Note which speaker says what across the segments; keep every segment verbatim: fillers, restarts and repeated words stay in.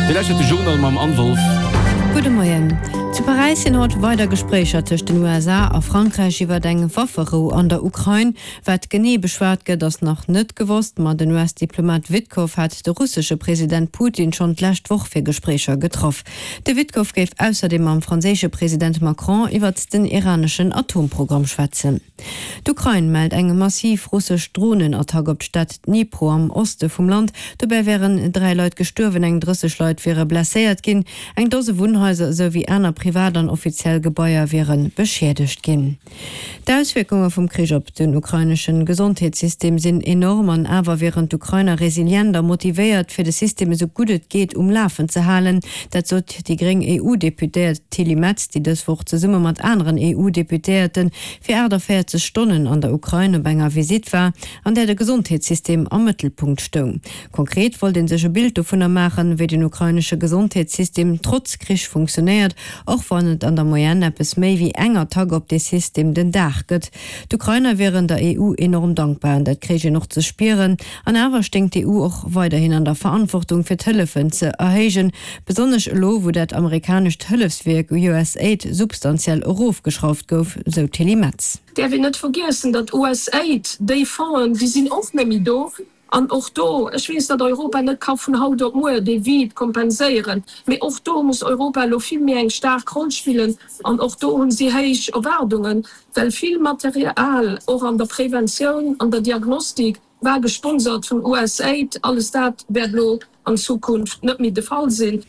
Speaker 1: Dir lauschtert de Journal mam Anne Wolff.
Speaker 2: Gudde Moien. Zu Paräis sinn haut weider Gespréicher tëscht den U S A a Frankräich iwwer eng Wafferou an der Ukrain. Wat genee beschwat gëtt, ass nach net gewosst, ma den U S-Diplomat Witkoff hat de russesche President Putin schonn d'lescht Woch fir Gespréicher getraff. De Witkoff géif ausserdeem mam franséische President Macron iwwer den iraneschen Atomprogramm schwätzen. D'Ukrain mellt eng massiv russesch Dronenattack op d'Stad Dnipro am Oste vum Land. Dobäi wären dräi Leit gestuerwen, eng drësseg Leit wiere blesséiert ginn. Eng Dose Wunnhaiser esou wéi aner privat an offiziell Gebaier wiere beschiedegt ginn. D'Auswierkunge vum Krich op den ukraineschen Gesondheetssystem sinn enorm an awer wieren d'Ukrainer resilient a motivéiert, fir de System esou gutt et geet um Lafen ze halen. Dat sot déi gréng E U-Deputéiert Tilly Metz, déi dës Woch zesumme mat aneren E U-Deputéierte fir achtundvierzeg Stonnen an der Ukrain op enger Visitt war, an där de Gesondheetssystem am Mëttelpunkt stoung. Konkret wollt een sech e Bild dovunner maachen, wéi den ukrainesche Gesondheetssystem trotz Krich funktionéiert, och wann et an der Moyenne eppes méi wéi eng Attack op de System den Dag gëtt. D'Ukrainer wären der E U enorm dankbar, an dat kréich een och ze spieren. An awer sténgt d'E U och weiderhin an der Verantwortung fir d'Hëllefen ze erhéijen, besonnesch elo, wou dat amerikanescht Hëllefswierk U S Aid substantiell erofgeschrauft gouf, sou Tilly Metz.
Speaker 3: Därf een net vergiessen, datt U S Aid, déi Fonds, déi sinn och net méi do. An och do, ech weess, datt Europa net ka vun haut op muer dee Vide kompenséieren, mee och do muss Europa elo vill méi eng staark Roll spillen an och do hunn si héich Erwaardungen, well vill Material och an der Preventioun, an der Diagnostik war gesponsert vun U S Aid, alles dat wäert elo an Zukunft net méi de Fall sinn.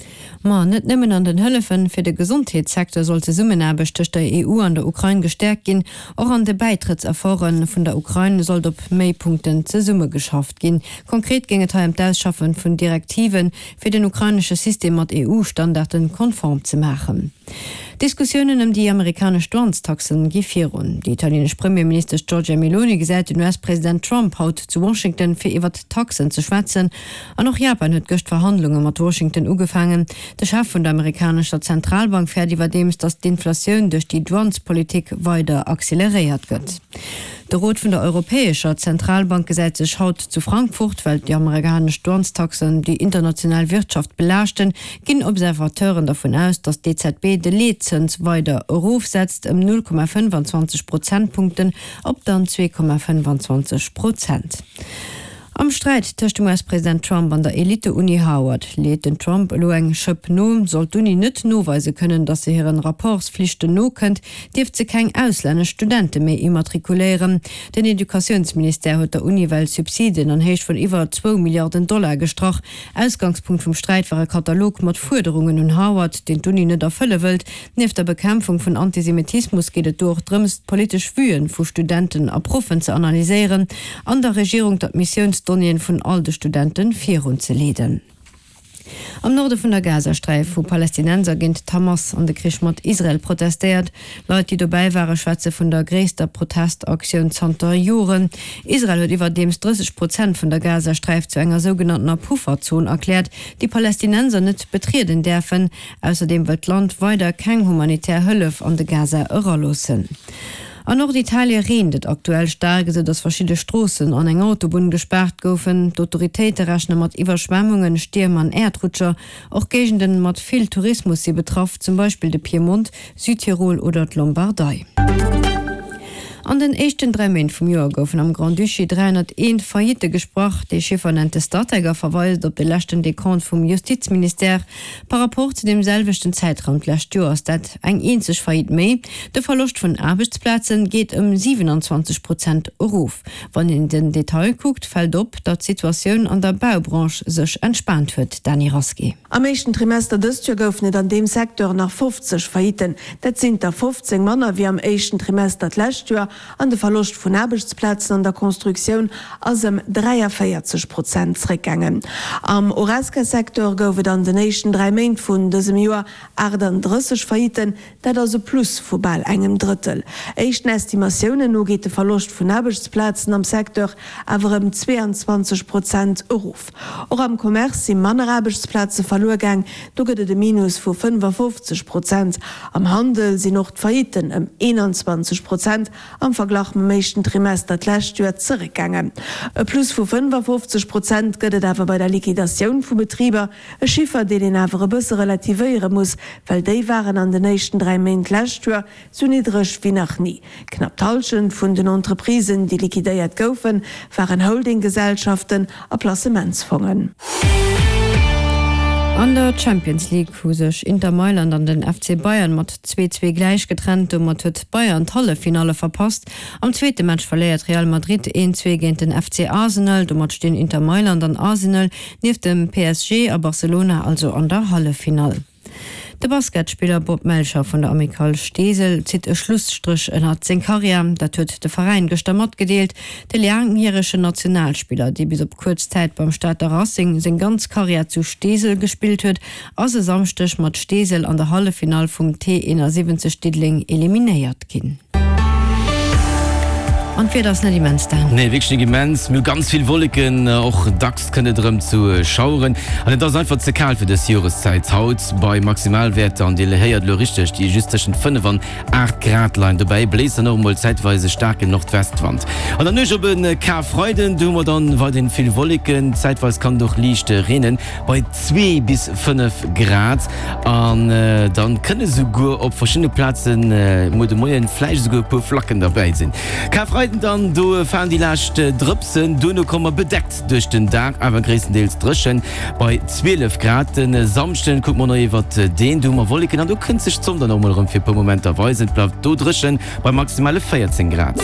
Speaker 2: Ma net nëmmen an den Hëllefen fir de Gesondheetssecteur soll d'Zesummenaarbecht tëscht der E U an der Ukrain gestärkt ginn. Och an de Bäitrëttserforen vun der Ukrain sollt op méi Punkten zesummegeschafft ginn. Konkret géing et hei ëm d'Ausschaffen vun Direktiven fir den ukrainesche System mat E U-Standarden konform ze maachen. Diskussiounen ëm déi amerikanesch Douanestaxen gi virun. Déi italienesch Premierministesch Giorgia Meloni gesäit den U S-President Trump haut zu Washington fir iwwer d'Taxen ze schwätzen. An och Japan huet gëscht Verhandlunge mat Washington ugefaangen. De Chef vun der amerikanescher Zentralbank fäert iwwerdeems, datt d'Inflatioun duerch déi Douanespolitik weider acceleréiert gëtt. De Rot vun der Europäescher Zentralbank gesäit sech haut zu Frankfurt, well déi amerikanesch Douanestaxen déi international Wirtschaft belaaschten, ginn Observateuren davon aus, datt d'E Z B de Leetzëns weider erofsetzt ëm null Komma fënnefanzwanzeg Prozentpunkten op dann zwee Komma fënnefanzwanzeg Prozent. Am Sträit tëscht dem U S-President Trump an der Elite-Uni Harvard leet den Trump elo eng Schëpp no. Sollt d'Uni net noweise kënnen, datt se hiren Rapportspflichten nokënnt, dierft se keng auslännesch Studente méi immatrikuléieren. Den Educatiounsministère huet der Uni well Subsidien an Héicht vun iwwer zwou Milliarden Dollar gestrach. Ausgangspunkt vum Sträit war e Katalog mat Fuerderungen un Harvard, deen d'Uni net erfëlle wëllt. Nieft der Bekämpfung vun Antisemitismus geet et do och drëms, d'politesch Vuen vu Studenten a Proffen ze analyséieren an der Regierung d'Admissiounsdonnéeën vun all de Studenten virunzeleeden. Am Norde vun der Gazasträif hu Palästinenser géint d'Hamas an de Krich mat Israel protestéiert. Leit, déi dobäi ware, schwätze vun der gréisster Protestaktioun zanter Joren. Israel huet iwwerdeems drësseg Prozent vun der Gazasträif zu enger sougenanntener Pufferzon erkläert, déi Palästinenser net betrieden däerfen. Ausserdeem wëllt d'Land weider keng humanitär Hëllef an de Gaza eraloossen. An Norditalien reent et aktuell staark, esou datt verschidde Stroossen an eng Autobunn gespaart goufen. D'Autoritéite rechne mat Iwwerschwemmungen, Stierm an Äerdrutscher. Och Géigenden mat vill Tourismus si betraff, zum Beispill de Piemont, Südtirol oder d'Lombardei. An den éischten dräi Méint vum Joer goufen am Grand-Duché dräihunnerteent Faillitte gesprach. De Chiffer nennt de Statec a verweist op de leschten Dekont vum Justizministère. Par rapport zu dem selwechten Zeitraum d'lescht Joer ass dat eng eenzeg Faillite méi. De Verloscht vun Aarbechtsplazen geet ëm siewenundzwanzeg Prozent erof. Wann een den Detail kuckt, fält op, datt d'Situatioun an der Baubranche sech entspaant huet. Dani Rasqué.
Speaker 4: Am éischten Trimester dëst Joer goufen et an deem Secteur nach fofzeg Failliten. Dat sinn der fofzéng manner wéi am éischten Trimester d'lescht Joer. An de Verloscht vun Aarbechtsplazen an der Constructioun ass ëm dräiundvierzeg Prozent zréckgaangen. Am Horesca-Secteur gouf et an den éischten dräi Méint vun dësem Joer achtunddrësseg Failliten, dat ass e Plus vu bal engem Drëttel. Éischten Estimatiounen no geet de Verloscht vun Aarbechtsplazen am Secteur awer ëm zweiundzwanzeg Prozent erof. Och am Commerce si manner Aarbechtsplaze verluer gaang, do gëtt et e Minus vu fënnefundfofzeg Prozent. Am Handel sinn och d'Failliten ëm einundzwanzeg Prozent am Verglach mam éischten Trimester d'lescht Joer zeréckgaangen. E Plus vu fënnefafofzeg Prozent gëtt et awer bei der Liquidatioun vu Betriber, e Chiffer, deen een awer e bësse relativéiere muss, well déi waren an den éischten dräi Méint d'lescht Joer sou niddreg wéi nach ni. Knapp d'Hallschent vun den Entreprisen, déi liquidéiert goufen, waren Holdinggesellschaften a Placementsfongen.
Speaker 2: An der Champions League hu sech Inter Mailand an den F C Bayern mat zwee zwee gläich getrennt. Domat huet Bayern d'Halleffinalle verpasst. Am zweete Match verléiert Real Madrid een zwee géint den F C Arsenal. Domat stinn Inter Mailand an Arsenal nieft dem P S G a Barcelona also an der Halleffinall. De Basketspiller Bob Melcher vun der Amicale Steesel zitt e Schlusstréch ënnert seng Karriär. Dat huet de Veräin gëschter matgedeelt. De laangjäregen Nationalspiller, dee bis op kuerz Zäit beim Stater Racing seng ganz Karriär zu Steesel gespillt huet, ass e Samschdeg mat Steesel an der Halleffinall vum T eenasiwwenzeg Diddeleng eliminéiert ginn. An d'Wieder ass net immens, Dan.
Speaker 1: Nee, wierklech net immens. Mir hu ganz vill Wolleken, och dacks kënnt et erëm zu Schaueren. An et ass einfach ze kal fir dës Joreszäit haut, bei Maximalwäerter, an Dir héiert elo richteg, déi just tëschent fënnef an aacht Grad leien. Dobäi bléist dann och emol zäitweis e staarken Nordwestwand. An der Nuecht op e Karfreiden, do hu mer dann weiderhin vill Wolleken, zäitweis kann et och liicht reenen, bei zwee bis fënnef Grad. An dann kënne souguer op verschiddene Plazen muer de Moien vläicht esouguer e puer Flacken derbäi sinn. Karfreiden dann, do falen déi lescht Drëpsen, duerno komme mer bedeckt duerch den Dag, awer gréisstendeels dréchen bei zwielef Grad. De Samschden kucke mer nach iwwert deen, do hu mer Wolleken an do kënnt sech d'Sonn dann och mol erëm fir e puer Momenter weisen. Et bleift do dréchen bei maximale véierzéng Grad.